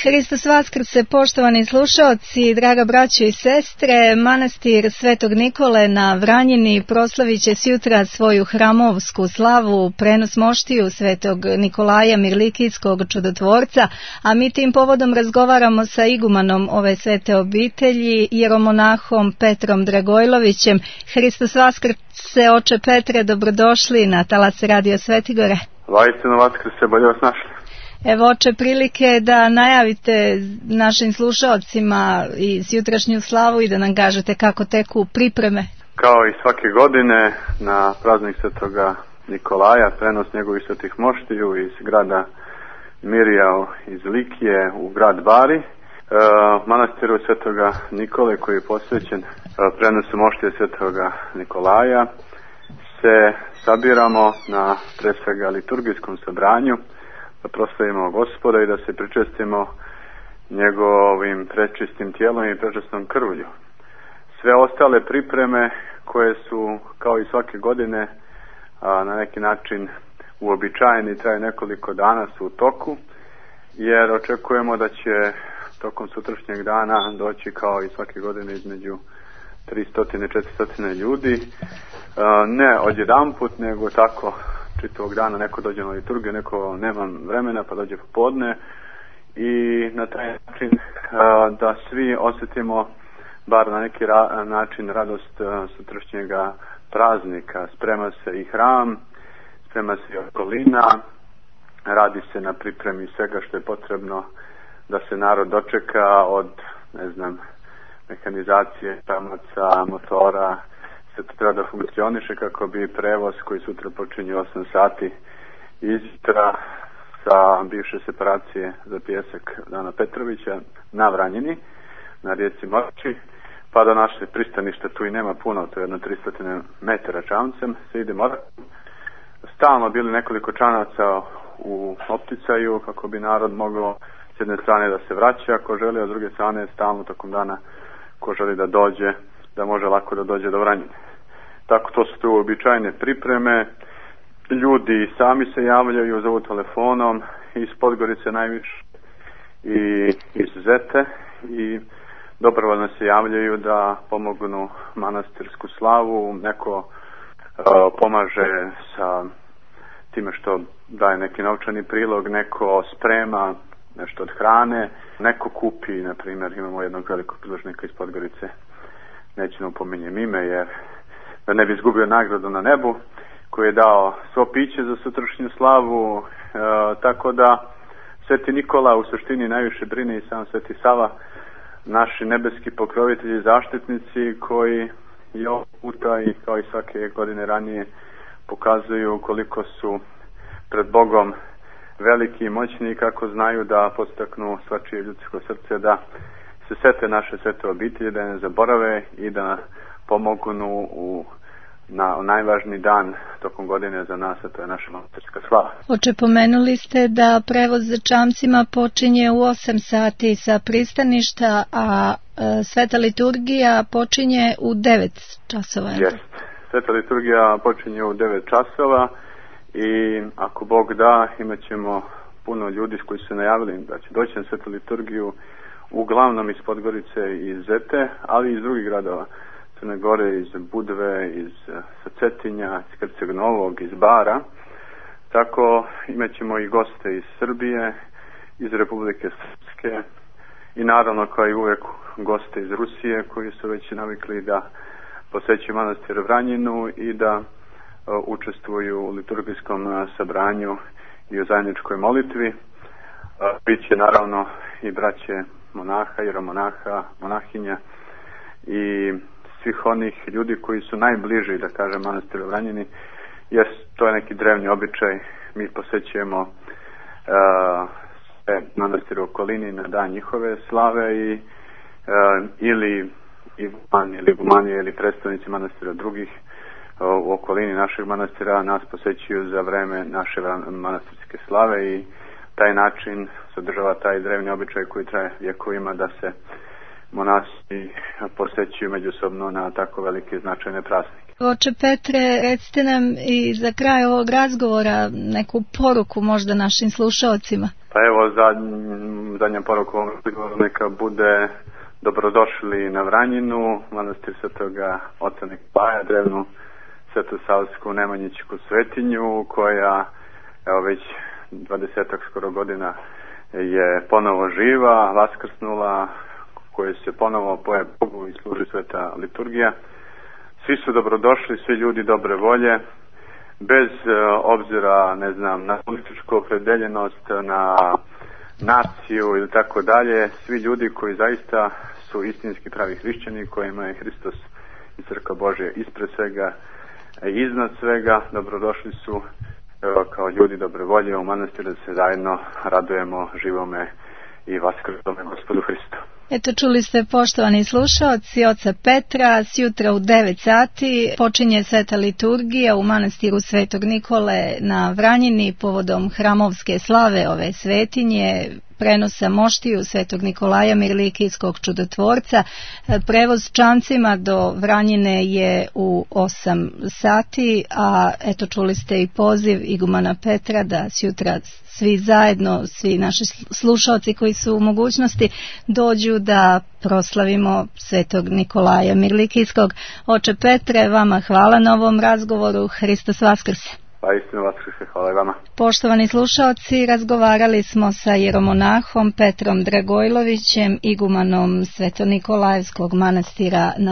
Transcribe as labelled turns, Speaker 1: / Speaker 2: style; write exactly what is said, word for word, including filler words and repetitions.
Speaker 1: Hristos Vaskrse, poštovani slušaoci, draga braćo i sestre, manastir Svetog Nikole na Vranjini proslavit će sjutra svoju hramovsku slavu, prenos moštiju Svetog Nikolaja Mirlikijskog čudotvorca, a mi tim povodom razgovaramo sa igumanom ove svete obitelji, jeromonahom Petrom Dragojlovićem. Hristos Vaskrse, oče Petre, dobrodošli na talas Radio Svetigore.
Speaker 2: Vajstino Vaskrse, bolje vas našli.
Speaker 1: Evo, oče, prilike da najavite našim slušalcima i jutrašnju slavu i da nam kažete kako teku pripreme.
Speaker 2: Kao i svake godine na praznik Svetoga Nikolaja, prenos njegovih svetih moštiju iz grada Mirija iz Likije u grad Bari, e, manastiru Svetoga Nikole koji je posvećen prenosu moštije Svetoga Nikolaja, se sabiramo na pre svega liturgijskom sabranju da proslavimo Gospoda i da se pričestimo njegovim prečistim tijelom i prečistom krvlju. Sve ostale pripreme koje su kao i svake godine a, na neki način uobičajeni, traju nekoliko dana, su u toku, jer očekujemo da će tokom sutrašnjeg dana doći kao i svake godine između tristo do četiristo ljudi, a, ne odjedanput, nego tako čitavog dana, neko dođe na liturgiju, neko nema vremena pa dođe popodne, i na taj način a, da svi osjetimo bar na neki ra- način radost a, sutrašnjega praznika. Sprema se i hram, sprema se i okolina, radi se na pripremi svega što je potrebno da se narod dočeka, od, ne znam, mehanizacije, tamaca, motora. Se to treba da funkcioniše kako bi prevoz koji sutra počinje osam sati izjutra sa bivše separacije za pijesak Dana Petrovića na Vranjini, na rijeci Morči, pa do naše pristanište, tu i nema puno, to je jedno tristo metara čamcem, se ide morat. Stalno bili nekoliko čanaca u opticaju kako bi narod mogao s jedne strane da se vraća ako želi, a s druge strane stalno tokom dana ko želi da dođe, da može lako da dođe do Vranjine. Tako, to su tu običajne pripreme. Ljudi sami se javljaju, zovu telefonom iz Podgorice najviše i iz Zete, i dobrovoljno se javljaju da pomognu manastirsku slavu. Neko uh, pomaže sa time što daje neki novčani prilog, neko sprema nešto od hrane, neko kupi, na primjer, imamo jednog velikog priložnika iz Podgorice, neću nam pominjem ime jer da ne bi izgubio nagradu na nebu, koji je dao svo piće za sutrašnju slavu, e, tako da Sveti Nikola u suštini najviše brine i sam Sveti Sava, naši nebeski pokrovitelji i zaštitnici, koji i ovog puta i kao i svake godine ranije pokazuju koliko su pred Bogom veliki i moćni, kako znaju da podstaknu svačije ljudsko srce da se sete naše svete obitelji, da ne zaborave i da pomognu u na najvažniji dan tokom godine za nas, a to je naša manastirska slava.
Speaker 1: Oče, pomenuli ste da prevoz za čamcima počinje u osam sati sa pristaništa, a e, sveta liturgija počinje u devet časova.
Speaker 2: Jeste. Sveta liturgija počinje u devet časova i ako Bog da, imat ćemo puno ljudi koji su najavili da će doći na svetu liturgiju, uglavnom iz Podgorice i iz Zete, ali i iz drugih gradova Crne Gore, iz Budve, iz Cetinja, iz Krceg Novog, iz Bara. Tako imat ćemo i goste iz Srbije, iz Republike Srpske i naravno kao i uvek goste iz Rusije koji su već navikli da posećuju manastir Vranjinu i da uh, učestvuju u liturgijskom uh, sabranju i u zajedničkoj molitvi. Uh, Biće naravno i braće monaha, jeromonaha, monahinja i svih onih ljudi koji su najbliži, da kažem, manastiru Vranjini, jer to je neki drevni običaj. Mi posećujemo uh, sve manastire u okolini na dan njihove slave i uh, ili Iguman ili Igumanije ili predstavnici manastira drugih uh, u okolini našeg manastira nas posećuju za vreme naše manastirske slave, i taj način sadržava taj drevni običaj koji traje vjekovima da se monasi posećuju međusobno na tako velike značajne praznike.
Speaker 1: Oče Petre, recite nam i za kraj ovog razgovora neku poruku možda našim slušaocima.
Speaker 2: Pa evo, zadnja poruka ovom razgovoru neka bude: dobrodošli na Vranjinu, manastir Svetoga oca Nikolaja, drevnu svetosavsku nemanjićku svetinju, koja evo već dvadesetak skoro godina je ponovo živa, vaskrsnula, koje se ponovo poje Bogu i služi sveta liturgija. Svi su dobrodošli, svi ljudi dobre volje, bez obzira, ne znam, na političku opredeljenost, na naciju ili tako dalje. Svi ljudi koji zaista su istinski pravi hrišćani, kojima je Hristos i Crkva Božja ispred svega i iznad svega, dobrodošli su evo, kao ljudi dobre volje u manastir, da se zajedno radujemo živome i vaskrslome Gospodu Hristu.
Speaker 1: Eto, čuli ste, poštovani slušaoci, oca Petra, sjutra u devet sati počinje sveta liturgija u manastiru Svetog Nikole na Vranjini povodom hramovske slave ove svetinje, prenosa moštiju Svetog Nikolaja Mirlikijskog čudotvorca. Prevoz čamcima do Vranjine je u osam sati, a eto, čuli ste i poziv igumana Petra da sjutra svi zajedno, svi naši slušalci koji su u mogućnosti, dođu da proslavimo Svetog Nikolaja Mirlikijskog. Oče Petre, vama hvala na ovom razgovoru. Hristos Vaskrse.
Speaker 2: Pa istinu Vaskrse, hvala i vama.
Speaker 1: Poštovani slušalci, razgovarali smo sa jeromonahom Petrom Dragojlovićem, igumanom Svetonikolajevskog manastira na